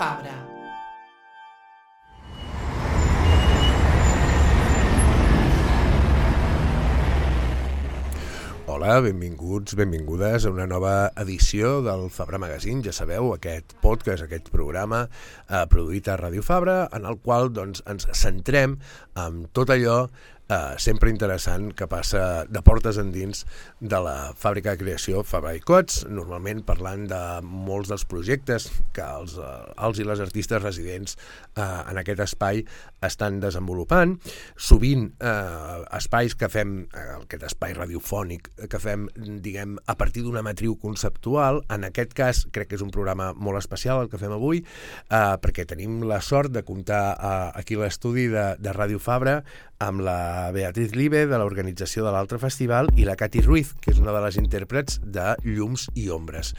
Fabra. Hola, benvinguts, benvingudes a una nova edició del Fabra Magazine. Ja sabeu, aquest podcast, aquest programa produït a Ràdio Fabra, en el qual ens centrem en tot allò sempre interessant que passa de portes endins de la fàbrica de creació Fabra i Coats, normalment parlant de molts dels projectes que els i les artistes residents en aquest espai estan desenvolupant. Sovint espais que fem, aquest espai radiofònic que fem, diguem, a partir d'una matriu conceptual. En aquest cas crec que és un programa molt especial el que fem avui, perquè tenim la sort de comptar aquí a l'estudi de Ràdio Fabra amb la Beatriz Libe, de l'organització de l'Altre Festival, i la Cati Ruiz, que és una de les intèrprets de Llums i Ombres.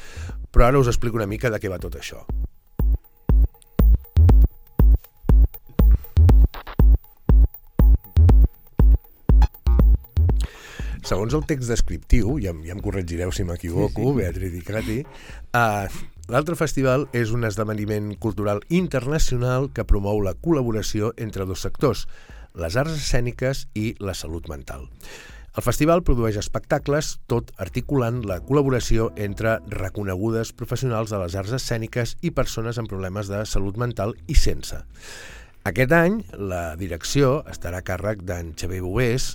Però ara us explico una mica de què va tot això. Segons el text descriptiu, ja em corregireu si m'equivoco, sí. Beatriz i Cati, l'Altre Festival és un esdeveniment cultural internacional que promou la col·laboració entre dos sectors, les arts escèniques i la salut mental. El festival produeix espectacles, tot articulant la col·laboració entre reconegudes professionals de les arts escèniques i persones amb problemes de salut mental i sense. Aquest any la direcció estarà a càrrec d'en Xavier Boués,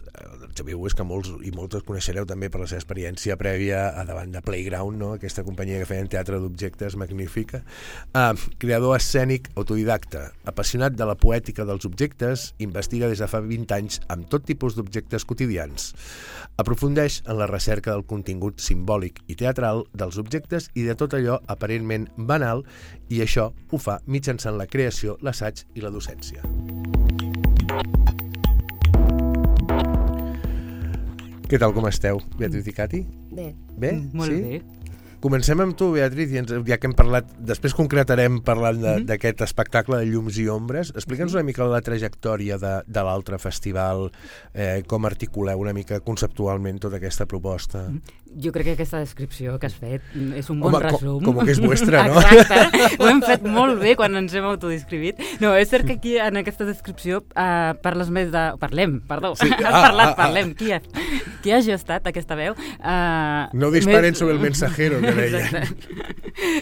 que molts i moltes coneixereu també per la seva experiència prèvia davant de Playground, no? Aquesta companyia que feien teatre d'objectes magnífica. Creador escènic autodidacta, apassionat de la poètica dels objectes, investiga des de fa 20 anys amb tot tipus d'objectes quotidians. Aprofundeix en la recerca del contingut simbòlic i teatral dels objectes i de tot allò aparentment banal, i això ho fa mitjançant la creació, l'assaig i la docència. Què tal, com esteu, Beatriz i Cati? Bé. Bé? Molt bé. Comencem amb tu, Beatriz, ja que hem parlat, després concretarem parlant d'aquest espectacle de Llums i Ombres. Explica'ns una mica la trajectòria de l'Altre Festival, com articuleu una mica conceptualment tota aquesta proposta. Jo crec que aquesta descripció que has fet és un bon resum. Com que és vostra, no? Exacte, ho hem fet molt bé quan ens hem autodescrivit. No, és cert que aquí en aquesta descripció parles més de... Parlem. Sí. Parlem. Qui ha gestat aquesta veu? No disparen sobre el mensajero, que deia.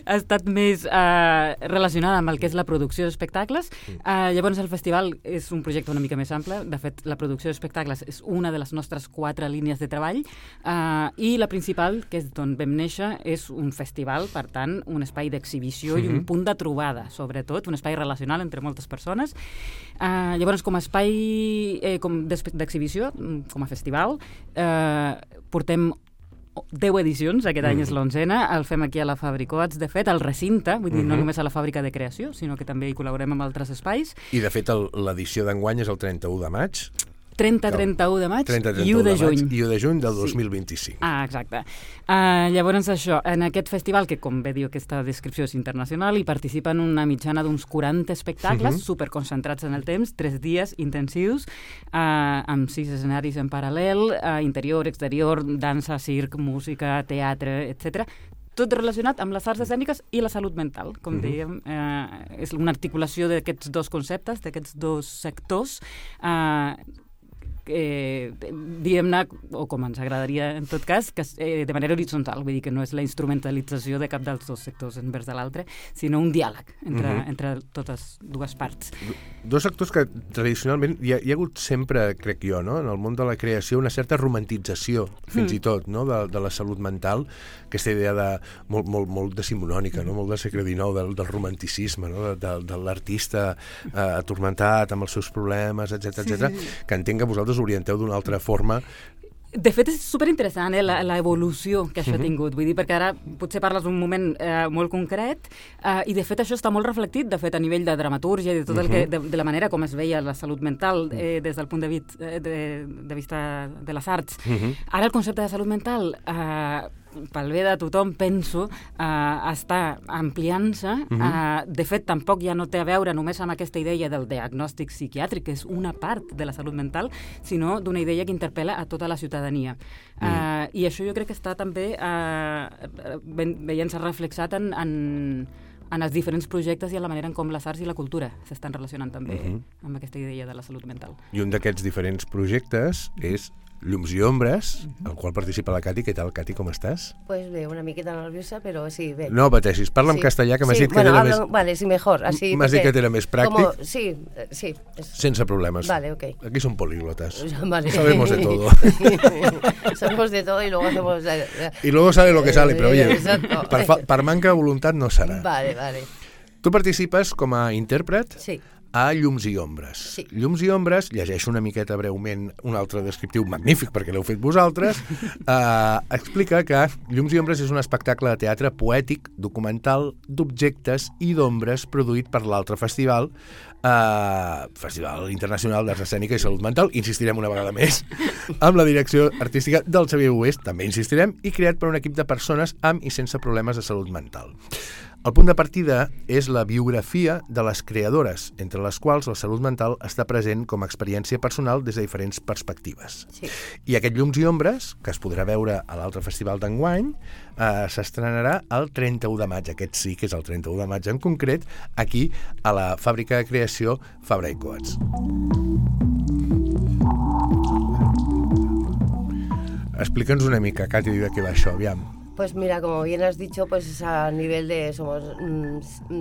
Ha estat més relacionada amb el que és la producció d'espectacles. Llavors el festival és un projecte una mica més ample. De fet, la producció d'espectacles és una de les nostres 4 línies de treball, i la principal, que és d'on vam néixer, és un festival, per tant, un espai d'exhibició i un punt de trobada, sobretot, un espai relacional entre moltes persones. Llavors, com a espai d'exhibició, com a festival, portem 10 edicions, aquest any és l'11ª, el fem aquí a la Fabra i Coats, de fet, al recinte, vull dir, no només a la fàbrica de creació, sinó que també hi col·laborem amb altres espais. I, de fet, l'edició d'enguany és el 31 de maig. 30-31 de maig i 1 de juny. I 1 de juny del 2025. Exacte. Llavors això, en aquest festival, que com bé diu aquesta descripció és internacional, hi participen una mitjana d'uns 40 espectacles superconcentrats en el temps, 3 dies intensius, amb 6 escenaris en paral·lel, interior, exterior, dansa, circ, música, teatre, etc. Tot relacionat amb les arts escèniques i la salut mental, com dèiem. És una articulació d'aquests dos conceptes, d'aquests dos sectors, diguem-ne, o com ens agradaria en tot cas, que de manera horitzontal, vull dir que no és la instrumentalització de cap dels dos sectors envers de l'altre, sinó un diàleg entre totes dues parts. Dos sectors que tradicionalment hi ha hagut sempre, crec jo, no? En el món de la creació, una certa romantització, fins i tot, no? de la salut mental, aquesta idea de molt decimonònica, no? Molt de segle XIX, del romanticisme, no? de l'artista atormentat amb els seus problemes, etc., que entenc que vosaltres orienteu d'una altra forma. De fet, és superinteressant l'evolució que això ha tingut. Vull dir, perquè ara potser parles d'un moment molt concret i, de fet, això està molt reflectit, de fet, a nivell de dramatúrgia i de tot el que, de la manera com es veia la salut mental des del punt de vista de les arts. Ara el concepte de salut mental pel bé de tothom, penso, està ampliant-se. De fet, tampoc ja no té a veure només amb aquesta idea del diagnòstic psiquiàtric, que és una part de la salut mental, sinó d'una idea que interpel·la a tota la ciutadania. I això jo crec que està també veient-se reflexat en en els diferents projectes i en la manera en com les arts i la cultura s'estan relacionant també amb aquesta idea de la salut mental. I un d'aquests diferents projectes és Llums i Ombres, al qual participa la Cati. Què tal, Cati, com estàs? Pues bé, una miqueta nerviosa, pero sí, bé. No pateixis, parla en castellà, que m'has dit que era més... Vale, sí, mejor, así. M'has dit que era més pràctic. Sí. Sense problemes. Vale, ok. Aquí son políglotas. Vale. Sabemos de todo. Sabemos de todo y luego hacemos... Y luego sale lo que sale, però oye, Exacto. per manca de voluntat no serà. Vale. Tu participes com a intèrpret Sí. a Llums i Ombres. Sí. Llums i Ombres, llegeixo una miqueta breument un altre descriptiu magnífic perquè l'heu fet vosaltres, explica que Llums i Ombres és un espectacle de teatre poètic, documental, d'objectes i d'ombres produït per l'altre festival, Festival Internacional d'Arts Escènica i Salut Mental, insistirem una vegada més, amb la direcció artística del Xavier Oest, també insistirem, i creat per un equip de persones amb i sense problemes de salut mental. El punt de partida és la biografia de les creadores, entre les quals la salut mental està present com a experiència personal des de diferents perspectives. Sí. I aquest Llums i Ombres, que es podrà veure a l'altre festival d'enguany, s'estrenarà el 31 de maig, aquest sí que és el 31 de maig en concret, aquí a la fàbrica de creació Fabra i Coats. Explica'ns una mica, Cati, de què va això, aviam. Pues mira, como bien has dicho, pues es a nivel de... Somos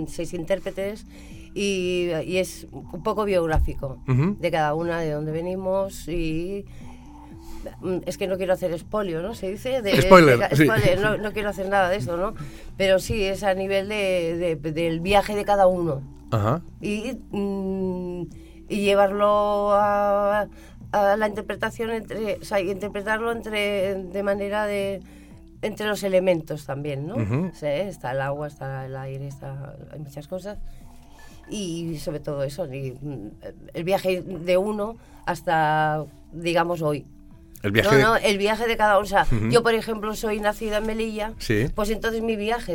6 intérpretes y es un poco biográfico de cada una, de dónde venimos y... Es que no quiero hacer spoiler, ¿no? Se dice... Spoiler, sí. Spoiler, no quiero hacer nada de eso, ¿no? Pero sí, es a nivel del viaje de cada uno. Ajá. Y llevarlo a la interpretación, interpretarlo de manera de... entre los elementos también, ¿no? Sí, está el agua, está el aire, hay muchas cosas. Y sobre todo eso, el viaje de uno hasta, digamos, hoy. El viaje el viaje de cada uno. O sea, yo, por ejemplo, soy nacida en Melilla, sí. Pues entonces mi viaje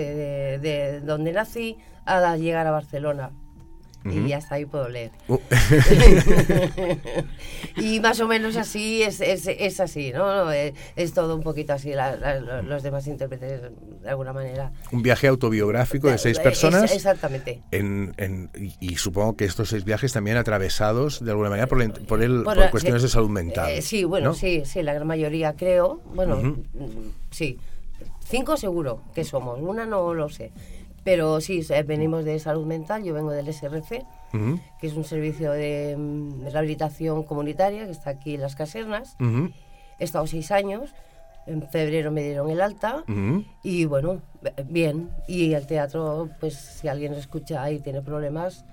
de donde nací a llegar a Barcelona. Y hasta ahí puedo leer. Y más o menos así es así, ¿no? Es todo un poquito así, los demás intérpretes, de alguna manera. Un viaje autobiográfico de 6 personas. Exactamente. Y supongo que estos 6 viajes también atravesados, de alguna manera, por cuestiones de salud mental. Sí, bueno, ¿no? sí, la gran mayoría creo. Bueno, sí. 5 seguro que somos, una no lo sé. Pero sí, venimos de salud mental, yo vengo del SRC, que es un servicio de rehabilitación comunitaria que está aquí en las Casernas. He estado 6 años, en febrero me dieron el alta y bueno, bien. Y el teatro, pues si alguien escucha y tiene problemas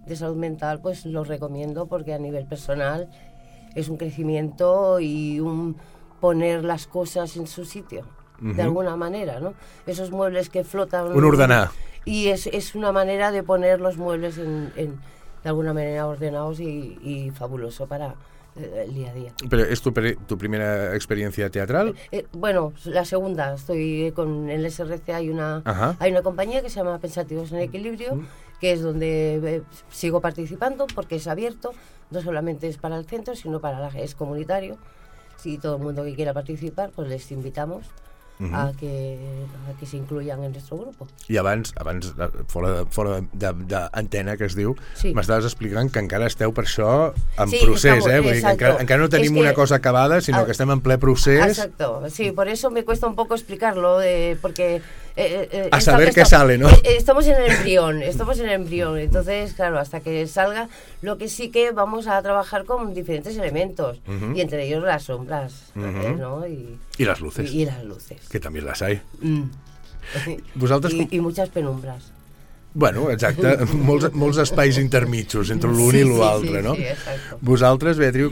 de salud mental, pues lo recomiendo porque a nivel personal es un crecimiento y un poner las cosas en su sitio. De alguna manera, ¿no? Esos muebles que flotan... Un ordenar. Y es una manera de poner los muebles de alguna manera ordenados y fabuloso para el día a día. ¿Pero es tu primera experiencia teatral? Bueno, la segunda. Estoy con el SRC, hay una compañía que se llama Pensativos en Equilibrio, que es donde sigo participando porque es abierto, no solamente es para el centro, sino es comunitario. Si todo el mundo que quiera participar, pues les invitamos a que se incluyan en nuestro grupo. I abans fora d'antena, que es diu, sí. M'estaves explicant que encara esteu per això en sí, procés, estamos, Vull dir que encara no tenim una cosa acabada, sinó que estem en ple procés. Exacto, sí, por eso me cuesta un poco explicarlo, porque... a saber qué sale, ¿no? Estamos en el embrión, entonces, claro, hasta que salga, lo que sí que vamos a trabajar con diferentes elementos, y entre ellos las sombras, ¿no? Y las luces. Y las luces. Que també les hay. Vosaltres I muchas penumbras. Bueno, exacte, molts espais intermitjos entre l'un i l'altre, no? Sí, exacte. Vosaltres, Beatriu,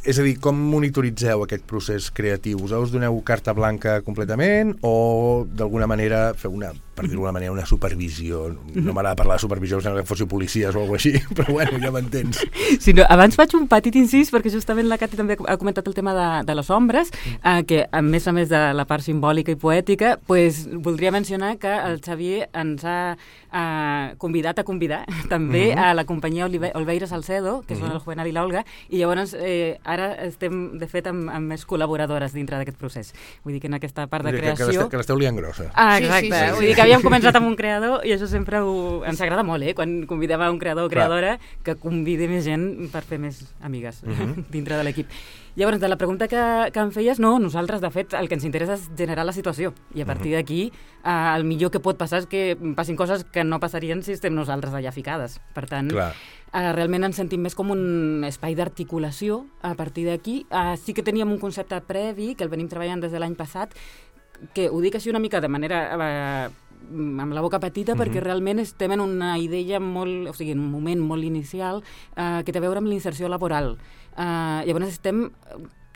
és a dir, com monitoritzeu aquest procés creatiu? Us doneu carta blanca completament o d'alguna manera feu per dir-ho d'alguna manera, una supervisió? No m'agrada parlar de supervisió, sembla que fóssiu policies o alguna cosa així, però bueno, ja m'entens. Sí, no, abans faig un petit incís, perquè justament la Cati també ha comentat el tema de les ombres, que a més de la part simbòlica i poètica, pues, voldria mencionar que el Xavier ens ha convidat a convidar també a la companyia Olveira Salcedo, que són el Juvenal i l'Olga, i llavors ara estem, de fet, amb més col·laboradores dintre d'aquest procés. Vull dir que en aquesta part de creació... Que l'esteu liant grossa. Exacte. Vull dir que havíem començat amb un creador i això sempre ens agrada molt, quan convidem a un creador o creadora que convidi més gent per fer més amigues dintre de l'equip. Llavors, de la pregunta que em feies, no, nosaltres, de fet, el que ens interessa és generar la situació i a partir d'aquí el millor que pot passar és que passin coses que no passarien si estem nosaltres allà ficades. Per tant, realment ens sentim més com un espai d'articulació a partir d'aquí. Sí que teníem un concepte previ que el venim treballant des de l'any passat, que ho dic així una mica de manera amb la boca petita perquè realment estem en una idea molt, o sigui, en un moment molt inicial que té a veure amb l'inserció laboral. Llavors estem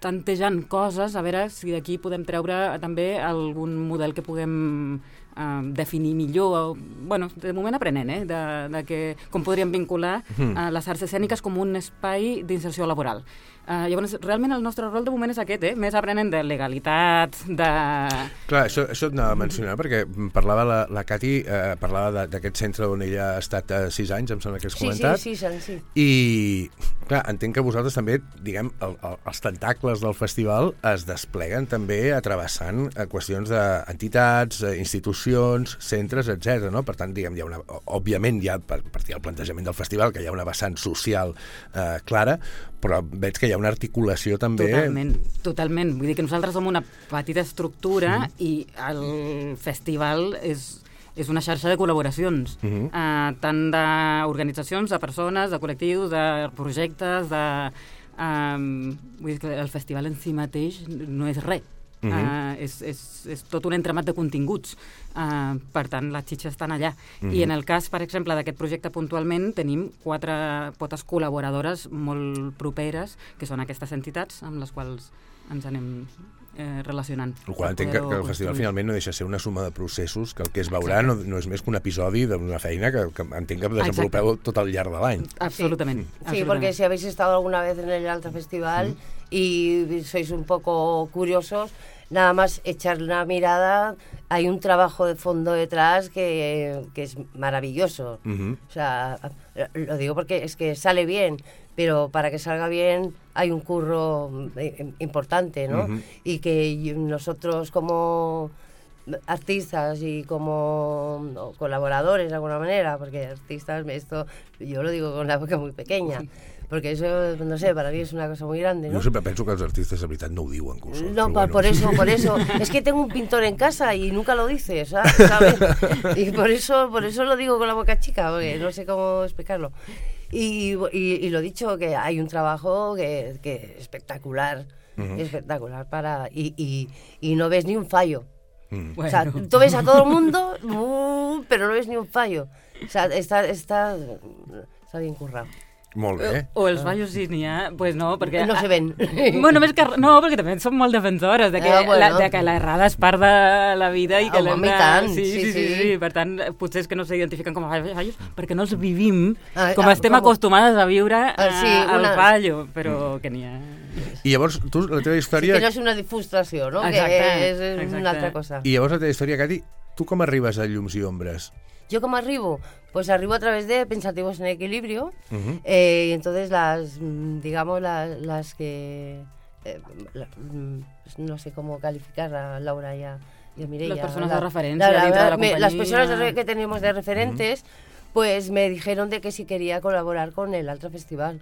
tantejant coses a veure si d'aquí podem treure també algun model que puguem definir millor. Bueno, de moment aprenent, de com podríem vincular les arts escèniques com un espai d'inserció laboral. Llavors, realment el nostre rol de moment és aquest, més aprenent de legalitat, de... Clar, això et anava a mencionar, perquè parlava la Cati, parlava d'aquest centre on ella ha estat 6 anys, em sembla que has comentat. Sí, 6 anys, sí. I, clar, entenc que vosaltres també, diguem, els tentacles del festival es despleguen també travessant qüestions d'entitats, institucions, centres, etc. No? Per tant, diguem, hi ha una, òbviament, hi ha, per partir del plantejament del festival, que hi ha una vessant social clara, però veig que hi ha una articulació també... Totalment. Vull dir que nosaltres som una petita estructura i el festival és una xarxa de col·laboracions, tant d'organitzacions, de persones, de col·lectius, de projectes, vull dir que el festival en si mateix no és res. És tot un entramat de continguts. Per tant, les xitxes estan allà. I en el cas, per exemple, d'aquest projecte puntualment, tenim 4 potes col·laboradores molt properes, que són aquestes entitats amb les quals ens anem relacionant. El qual entenc que el festival finalment no deixa ser una suma de processos, que el que es veurà no és més que un episodi d'una feina que entenc que desenvolupeu tot al llarg de l'any. Absolutament. Sí, porque si habéis estado alguna vez en el Alta Festival y sois un poco curiosos, nada más echar una mirada, hay un trabajo de fondo detrás que es maravilloso. O sea, lo digo porque es que sale bien, pero para que salga bien hay un curro importante, ¿no? Y que nosotros como artistas y como colaboradores de alguna manera, porque artistas, esto yo lo digo con la boca muy pequeña, porque eso, no sé, para mí es una cosa muy grande, ¿no? Yo siempre pienso que los artistas de verdad no diuen cosas. No, bueno. por eso. Es que tengo un pintor en casa y nunca lo dice, ¿sabes? Y por eso lo digo con la boca chica, porque no sé cómo explicarlo. Y lo dicho, que hay un trabajo que es espectacular, espectacular y no ves ni un fallo. Bueno. O sea, tú ves a todo el mundo, pero no ves ni un fallo. O sea, está bien currado. Molt bé. O els fallos sí n'hi ha, pues no, perquè... No se ven. Bueno, més que... No, perquè també som molt defensores de que l'errada és part de la vida i que l'hem de... Sí. Per tant, potser és que no s'identifiquen com a fallos perquè no els vivim com estem acostumades a viure al fallo, però que n'hi ha... I llavors, tu, la teva història... Sí, que no és una frustració, no? Exacte, que és una altra cosa. I llavors la teva història, Cati, tu com arribes a Llums i Ombres? ¿Yo cómo arribo? Pues arribo a través de Pensativos en Equilibrio, y entonces las que... no sé cómo calificar a Laura y a Mireia. Las personas de referencia dentro de la compañía. Las personas que tenemos de referentes, pues me dijeron de que si quería colaborar con el Alta Festival.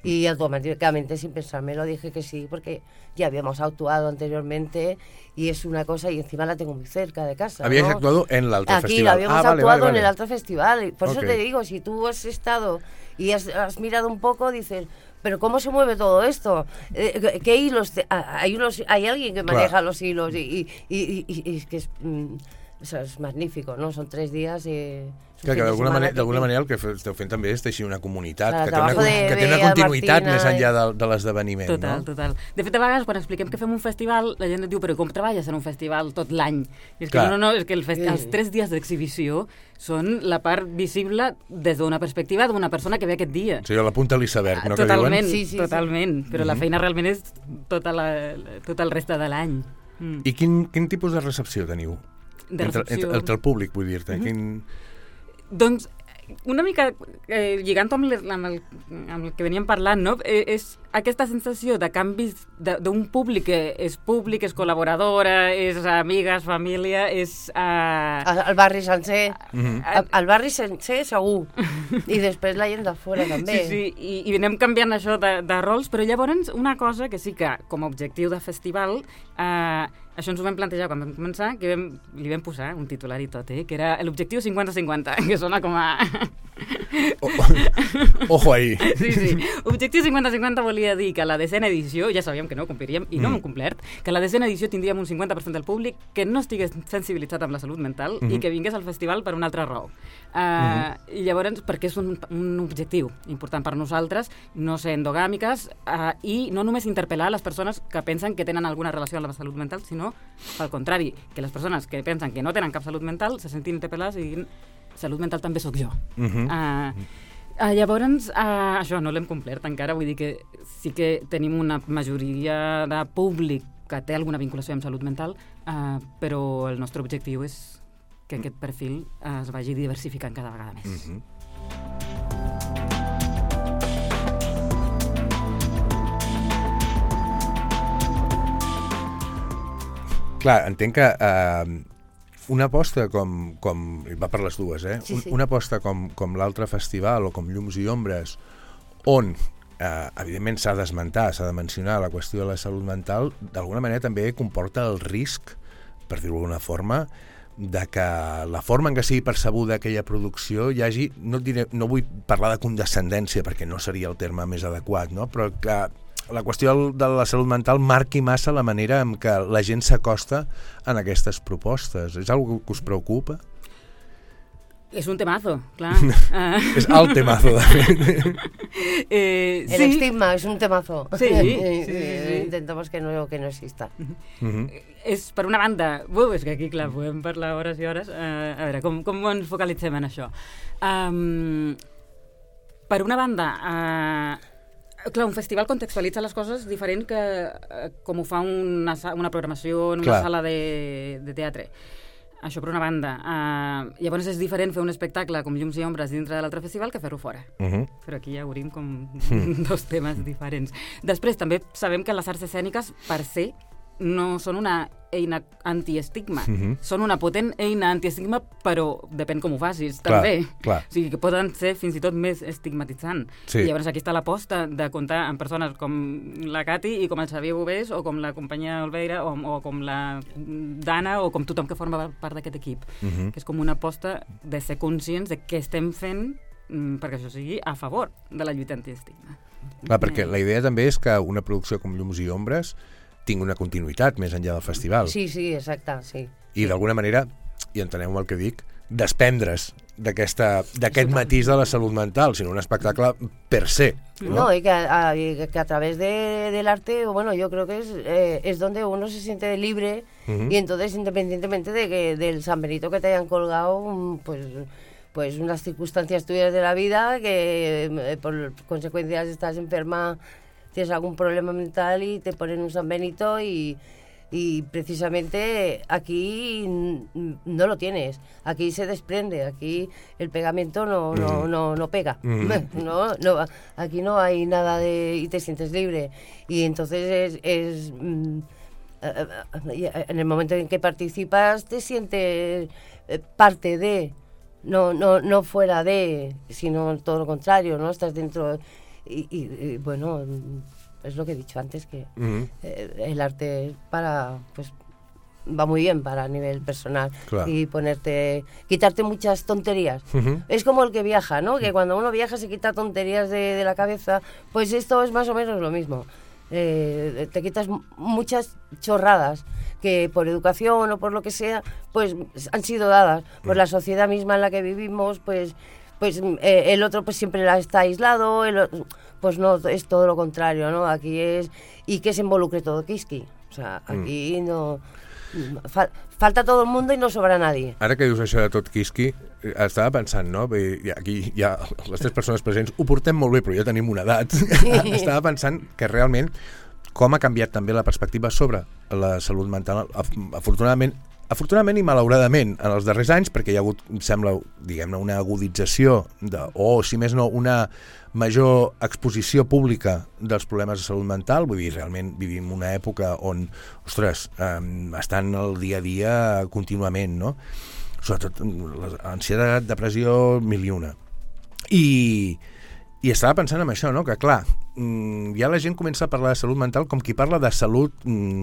Y automáticamente, sin pensarme, lo dije que sí, porque ya habíamos actuado anteriormente y es una cosa, y encima la tengo muy cerca de casa. ¿Habíais actuado en el Alta Festival? Aquí habíamos actuado en el Alta Festival. Por eso te digo, si tú has estado y has mirado un poco, dices, pero ¿cómo se mueve todo esto? ¿Qué hilos? Hay alguien que maneja los hilos y es que es magnífico, ¿no? Son 3 días y... Que d'alguna manera el que esteu fent també és teixir una comunitat que té una continuïtat més enllà de l'esdeveniment. Total. De fet, a vegades, quan expliquem que fem un festival, la gent et diu, però com treballes en un festival tot l'any? I és que no, és que els 3 dies d'exhibició són la part visible des d'una perspectiva d'una persona que ve aquest dia. O sigui, la punta de l'iceberg, no? Totalment, però la feina realment és tot el reste de l'any. I quin tipus de recepció teniu? Entre el públic, vull dir-te. Doncs, una mica lligant amb el que veníem parlant, no? És aquesta sensació de canvis d'un públic que és col·laboradora, és amigues, família, és... El barri sencer. El barri sencer, segur. I després la gent de fora, també. Sí, i anem canviant això de rols, però llavors una cosa que sí que, com a objectiu de festival, això ens ho vam plantejar quan vam començar, que li vam posar un titular i tot, que era l'objectiu 50-50, que sona com a... Ojo ahí. Sí. Objectiu 50-50 volia dir que a la 10ª edició, ja sabíem que no ho compliríem, i no ho hem complert, que a la 10ª edició tindríem un 50% del públic que no estigués sensibilitzat amb la salut mental i que vingués al festival per una altra raó. I llavors, perquè és un objectiu important per nosaltres, no ser endogàmiques i no només interpel·lar les persones que pensen que tenen alguna relació amb la salut mental, sinó, pel contrari, que les persones que pensen que no tenen cap salut mental se sentin interpel·lades i diguin salut mental també sóc jo. Llavors, això no l'hem complert encara, vull dir que sí que tenim una majoria de públic que té alguna vinculació amb salut mental, però el nostre objectiu és que aquest perfil es vagi diversificant cada vegada més. Clar, entenc que una aposta com va per les dues, Sí. Una aposta com l'altre festival o com Llums i Ombres, on evidentment s'ha d'esmentar, s'ha de mencionar la qüestió de la salut mental, d'alguna manera també comporta el risc, per dir-ho d'alguna forma, de que la forma en què sigui percebuda aquella producció hi hagi, no vull parlar de condescendència perquè no seria el terme més adequat, no? Però que la qüestió de la salut mental marqui massa la manera en què la gent s'acosta en aquestes propostes. És una cosa que us preocupa? És un temazo, clar. És el temazo, de fet. El estigma es un temazo. Sí. Intentamos que no exista. És, per una banda, és que aquí, clar, podem parlar hores i hores. A veure, com ens focalitzem en això? Per una banda, clar, un festival contextualitza les coses diferent que com ho fa una programació en una sala de teatre. Això per una banda. Llavors és diferent fer un espectacle com Llums i Ombres dintre de l'altre festival que fer-ho fora. Però aquí ja obrim com dos temes diferents. Després també sabem que les arts escèniques per se no són una eina antiestigma. Són una potent eina antiestigma, però depèn com ho facis, també. Clar. O sigui, que poden ser fins i tot més estigmatitzant. Sí. I llavors aquí està l'aposta de comptar amb persones com la Cati i com el Xavier Bovés o com la companyia Olveira o com la Dana o com tothom que forma part d'aquest equip. Que és com una aposta de ser conscients de què estem fent perquè això sigui a favor de la lluita antiestigma. Clar, perquè la idea també és que una producció com Llums i Ombres tingui una continuïtat més enllà del festival. Sí, exacte, sí. I d'alguna manera, i enteneu el que dic, desprendre's d'aquest matís de la salut mental, sinó un espectacle per se. No, y que a través del arte, bueno, yo creo que es donde uno se siente libre y entonces independientemente del San Benito que te hayan colgado, pues unas circunstancias tuyas de la vida que por consecuencias estás enferma, tienes algún problema mental y te ponen un San Benito y precisamente aquí no lo tienes, aquí se desprende, aquí el pegamento no pega, no, aquí no hay nada y te sientes libre y entonces en el momento en que participas te sientes parte de, no fuera de, sino todo lo contrario, ¿no? Estás dentro. Y bueno, es lo que he dicho antes, que el arte va muy bien para a nivel personal. Claro. Y quitarte muchas tonterías. Es como el que viaja, ¿no? Que cuando uno viaja se quita tonterías de la cabeza, pues esto es más o menos lo mismo. Te quitas muchas chorradas que por educación o por lo que sea, pues han sido dadas por la sociedad misma en la que vivimos, pues el otro pues siempre está aislado, pues no, es todo lo contrario, ¿no? Aquí es, y que se involucre todo Kiski. O sea, aquí no... falta todo el mundo i no sobra nadie. Ara que dius això de tot Kiski, estava pensant, no? Aquí ja les tres persones presents ho portem molt bé, però ja tenim una edat. Estava pensant que realment com ha canviat també la perspectiva sobre la salut mental. Afortunadament, afortunadament i malauradament, en els darrers anys, perquè hi ha hagut, em sembla, diguem-ne, una agudització, o si més no, una major exposició pública dels problemes de salut mental, vull dir, realment vivim una època on, ostres, estan al dia a dia contínuament, no? Sobretot ansietat, depressió, mil i una. I estava pensant en això, no? Que clar, ja la gent comença a parlar de salut mental com qui parla de salut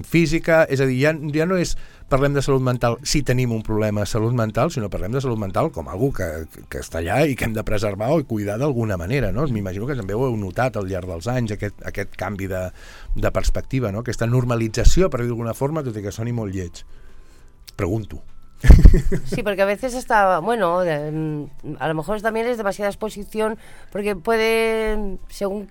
física, és a dir, ja no és parlem de salut mental si tenim un problema de salut mental, sinó parlem de salut mental com algú que està allà i que hem de preservar o cuidar d'alguna manera, no? M'imagino que també ho heu notat al llarg dels anys, aquest canvi de perspectiva, no? Aquesta normalització, per dir d'alguna forma, tot i que soni molt lleig. Pregunto. Sí, porque a veces está, bueno, a lo mejor también es demasiada exposición, porque puede, según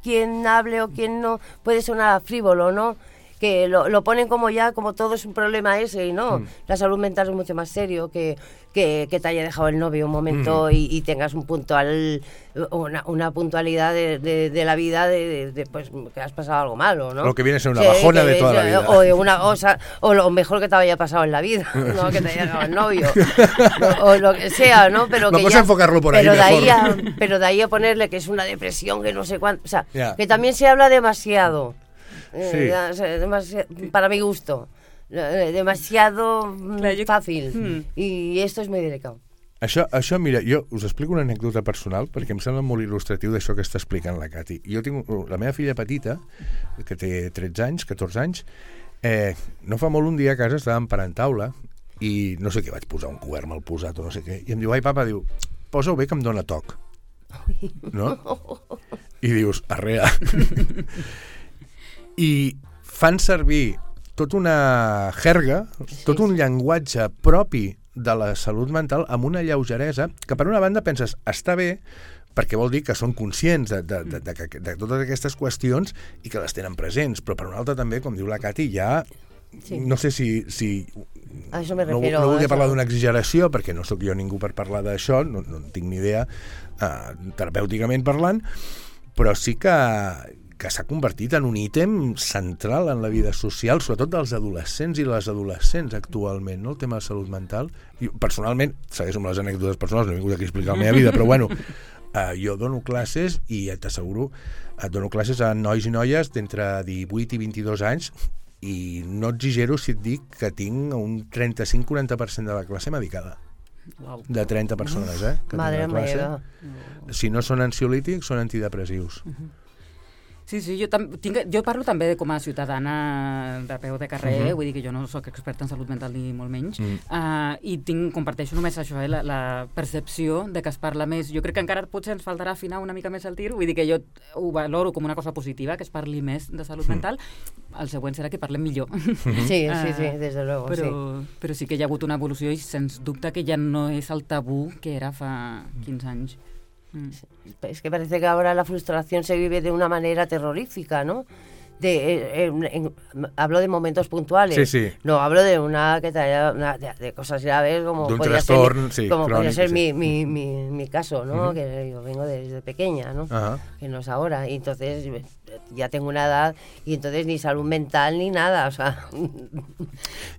quien hable o quien no, puede sonar frívolo, ¿no? Que lo ponen como ya, como todo es un problema ese, y no, la salud mental es mucho más serio que te haya dejado el novio un momento y tengas una puntualidad de la vida de pues que has pasado algo malo, ¿no? Lo que viene a ser una bajona de toda la vida. O lo mejor que te haya pasado en la vida, no que te haya dejado el novio, o lo que sea, ¿no? Pero no puedes enfocarlo por ahí mejor. Pero de ahí a ponerle que es una depresión, que no sé cuánto, o sea, que también se habla demasiado. Sí. Para mi gusto demasiado fàcil i esto és muy delicado. Això, mira, jo us explico una anècdota personal perquè em sembla molt il·lustratiu d'això que està explicant la Cati. Jo tinc la meva filla petita, que té 13 anys, 14 anys, no fa molt un dia a casa estàvem parant taula i no sé què, vaig posar un cobert mal posat o no sé què, i em diu, ai papa, diu, posa-ho bé que em dóna toc, no? I dius, arrea. I fan servir tota una jerga, tot un llenguatge propi de la salut mental amb una lleugeresa que per una banda penses, està bé, perquè vol dir que són conscients de totes aquestes qüestions i que les tenen presents, però per una altra també, com diu la Cati, ja no sé si no volia parlar d'una exageració, perquè no sóc jo ningú per parlar d'això, no tinc ni idea terapèuticament parlant, però sí que s'ha convertit en un ítem central en la vida social, sobretot dels adolescents i les adolescents actualment, no? El tema de salut mental. I, personalment, segueixo amb les anècdotes personals, no he vingut aquí a explicar la meva vida, però bueno, jo dono classes i t'asseguro, dono classes a nois i noies d'entre 18 i 22 anys i no exagero si et dic que tinc un 35-40% de la classe medicada. Wow. De 30 persones, que Madre meva. Si no són ansiolítics, són antidepressius. Sí, jo parlo també com a ciutadana de peu de carrer, vull dir que jo no soc experta en salut mental ni molt menys, i comparteixo només això, la percepció de que es parla més. Jo crec que encara potser ens faltarà afinar una mica més el tir, vull dir que jo ho valoro com una cosa positiva, que es parli més de salut mental. El següent serà que parlem millor. Sí, des de luego, però sí que hi ha hagut una evolució i sens dubte que ja no és el tabú que era fa 15 anys. Es que parece que ahora la frustración se vive de una manera terrorífica, ¿no? Hablo de momentos puntuales. Sí. No hablo de de cosas graves como podría ser mi caso, ¿no? Que yo vengo desde pequeña, ¿no? Que no es ahora. Y entonces ya tengo una edad y entonces ni salud mental ni nada, o sea,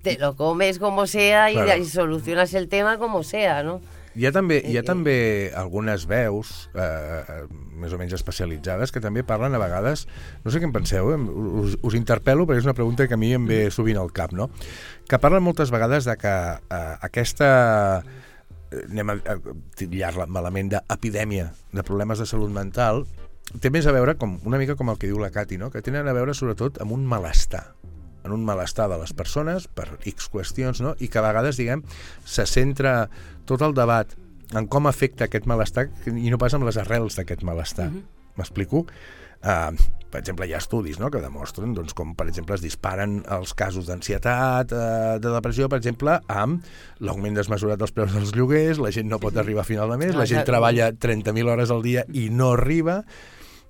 te lo comes como sea y solucionas el tema como sea, ¿no? Hi ha també algunes veus més o menys especialitzades que també parlen a vegades, no sé què en penseu, us interpel·lo perquè és una pregunta que a mi em ve sovint al cap, no? Que parlen moltes vegades de que aquesta, anem a titllar-la malament, d'epidèmia de problemes de salut mental té més a veure una mica com el que diu la Cati, no? Que tenen a veure sobretot amb un malestar, en un malestar de les persones per X qüestions, no? I que a vegades, diguem, se centra tot el debat en com afecta aquest malestar i no pas amb les arrels d'aquest malestar. M'explico? Per exemple, hi ha estudis, no?, que demostren doncs, com, per exemple, es disparen els casos d'ansietat, de depressió, per exemple, amb l'augment desmesurat dels preus dels lloguers, la gent no pot arribar a final de mes, la gent treballa 30.000 hores al dia i no arriba,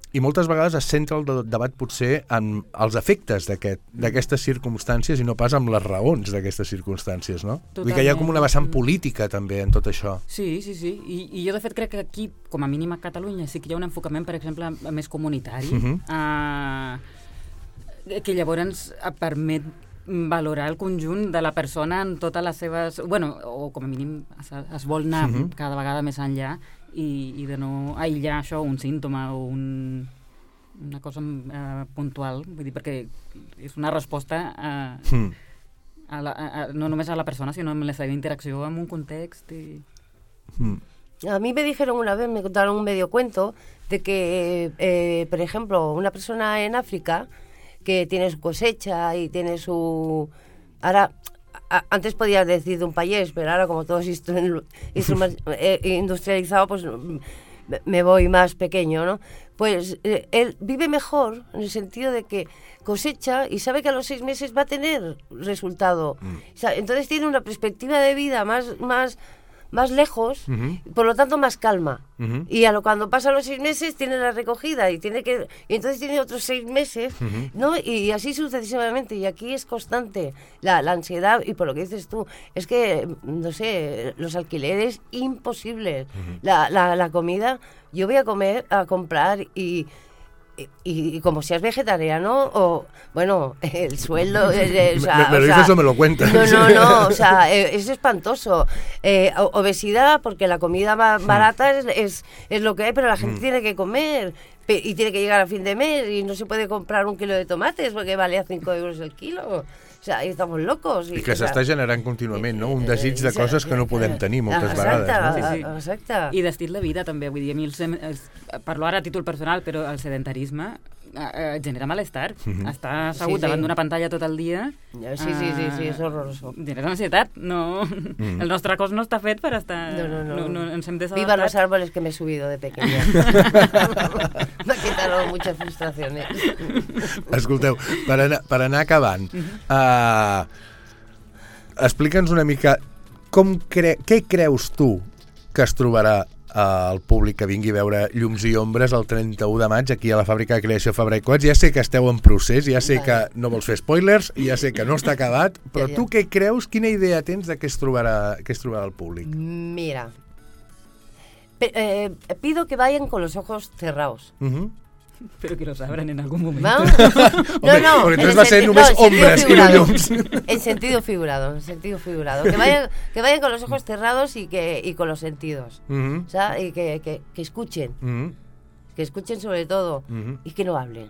i moltes vegades es centra el debat potser en els efectes d'aquestes circumstàncies i no pas amb les raons d'aquestes circumstàncies, no? Totalment. Vull dir que hi ha com una vessant política també en tot això. Sí. I jo de fet crec que aquí, com a mínim a Catalunya, sí que hi ha un enfocament, per exemple, més comunitari, que llavors permet valorar el conjunt de la persona en totes les seves... Bueno, o com a mínim es vol anar cada vegada més enllà i de no aïllar això, un símptoma o una cosa puntual, vull dir, perquè és una resposta no només a la persona, sinó en la seva interacció amb un context. A mí me dijeron una vez, me contaron un medio cuento, de que, por ejemplo, una persona en África que tiene su cosecha y tiene su... Ahora, antes podías decir de un país, pero ahora como todo es industrializado, pues me voy más pequeño, ¿no? Pues él vive mejor en el sentido de que cosecha y sabe que a los 6 meses va a tener resultado. O sea, entonces tiene una perspectiva de vida más lejos, por lo tanto más calma. Y cuando pasan los 6 meses tiene la recogida y entonces tiene otros 6 meses, ¿no? Y así sucesivamente. Y aquí es constante la ansiedad, y por lo que dices tú, es que, no sé, los alquileres imposibles. La comida, yo voy a comprar y como seas vegetariano, o bueno, el sueldo... me lo dices o me lo cuentas. No, o sea, es espantoso. Obesidad, porque la comida más barata es lo que hay, pero la gente tiene que comer y tiene que llegar a fin de mes y no se puede comprar 1 kilo de tomates porque vale a 5 euros el kilo. O sea, estamos locos. I que s'està generant contínuament, no? Un desig de coses que no podem tenir moltes vegades. No? Exacte. I d'estil de vida, també. Vull dir, a mi parlo ara a títol personal, però el sedentarisme genera malestar. Estar assegut davant d'una pantalla tot el dia... Sí, és horroroso. Genera ansietat. No, el nostre cos no està fet per estar... No ens hem desadaptat. Viva los árboles que me he subido de pequeña. Me ha quitado muchas frustraciones. Escolteu, per anar acabant, explica'ns una mica què creus tu que es trobarà el públic que vingui a veure Llums i Ombres el 31 de maig aquí a la Fàbrica de Creació Fabra i Coats. Ja sé que esteu en procés, ja sé que no vols fer spoilers, ja sé que no està acabat, però tu què creus, quina idea tens de què es trobarà el públic? Mira, pido que vayan con los ojos cerrados. Pero que los abran en algún momento. No, porque entonces va a ser només ombres y no llums. En sentido figurado. Que vayan con los ojos cerrados y con los sentidos. O sea, y que escuchen. Que escuchen sobre todo. Y que no hablen.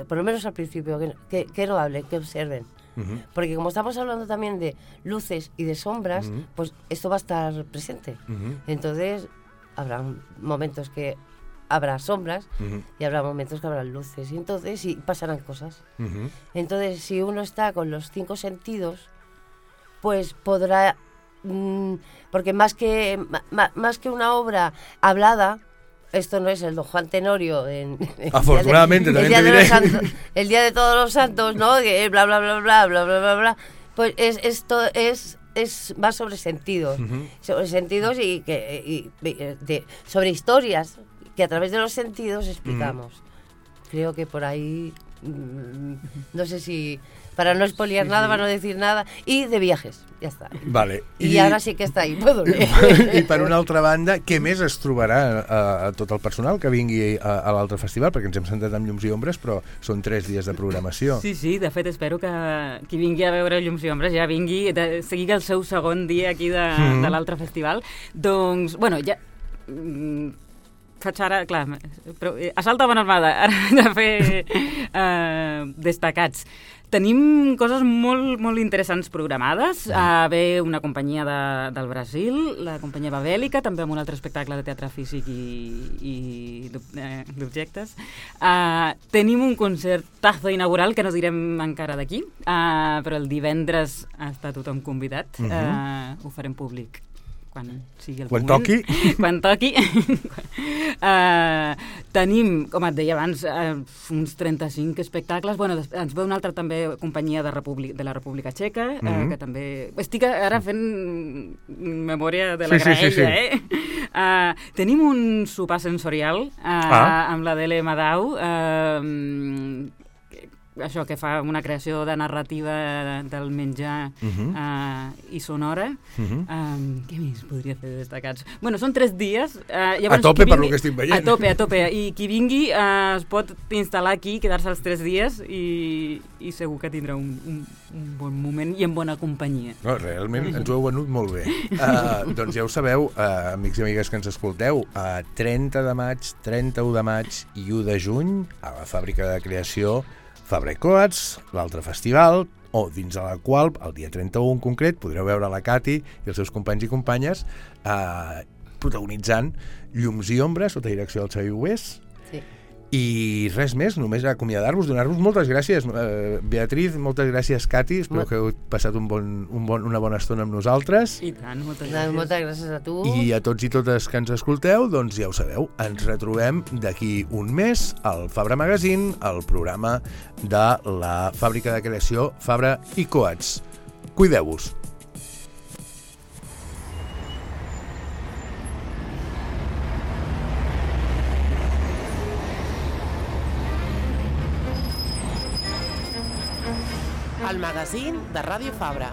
Por lo menos al principio, que no hablen, que observen. Porque como estamos hablando también de luces y de sombras, pues esto va a estar presente. Entonces, habrá momentos que habrá sombras y habrá momentos que habrá luces, y entonces pasarán cosas. Entonces, si uno está con los 5 sentidos, pues podrá, porque más que una obra hablada, esto no es el Don Juan Tenorio afortunadamente el día de todos los santos, ¿no? Bla bla bla bla bla bla bla bla. Pues esto es más sobre sentidos, y sobre historias que a través de los sentidos explicamos. Creo que por ahí, no sé si, para no espoliar nada, para no decir nada, y de viajes, ja està. Vale. I ara sí que està ahí, puedo leer. I per una altra banda, què més es trobarà a tot el personal que vingui a l'altre festival? Perquè ens hem sentat amb Llums i Ombres, però són 3 dies de programació. Sí, de fet espero que qui vingui a veure Llums i Ombres ja vingui, sigui el seu segon dia aquí de l'altre festival. Doncs, bueno, ja... faig ara, clar, però assalta bona armada, ara de fer destacats. Tenim coses molt, molt interessants programades. Ve una companyia del Brasil, la companyia Babèlica, també amb un altre espectacle de teatre físic i d'objectes. Tenim un concertazo inaugural que no direm encara d'aquí, però el divendres està tothom convidat. Ho farem públic quan sigui el moment. Quan toqui. Tenim, com et deia abans, uns 35 espectacles. Bueno, ens ve una altra també companyia de la República Txeca, que també... Estic ara fent memòria de la graella, Tenim un sopar sensorial amb la Dele Madau, això, que fa una creació de narrativa del menjar i sonora. Què més podria fer destacats? Bueno, són 3 dies. Llavors, a tope per lo que estic veient. A tope. I qui vingui es pot instal·lar aquí, quedar-se els 3 dies i segur que tindrà un bon moment i en bona companyia. No, realment ens ho heu venut molt bé. Doncs ja ho sabeu, amics i amigues que ens escolteu, 30 de maig, 31 de maig i 1 de juny a la fàbrica de creació Fabra i Coats, l'altre festival, o dins de la qual, el dia 31 en concret, podreu veure la Cati i els seus companys i companyes protagonitzant Llums i Ombres sota direcció del Xavi Hugués. Sí. I res més, només acomiadar-vos, donar-vos moltes gràcies. Beatriz, moltes gràcies, Cati. Espero que heu passat una bona estona amb nosaltres. I tant, moltes gràcies. Moltes gràcies a tu. I a tots i totes que ens escolteu, doncs ja ho sabeu, ens retrobem d'aquí un mes al Fabra Magazine, el programa de la fàbrica de creació Fabra i Coats. Cuideu-vos. El magazín de Ràdio Fabra.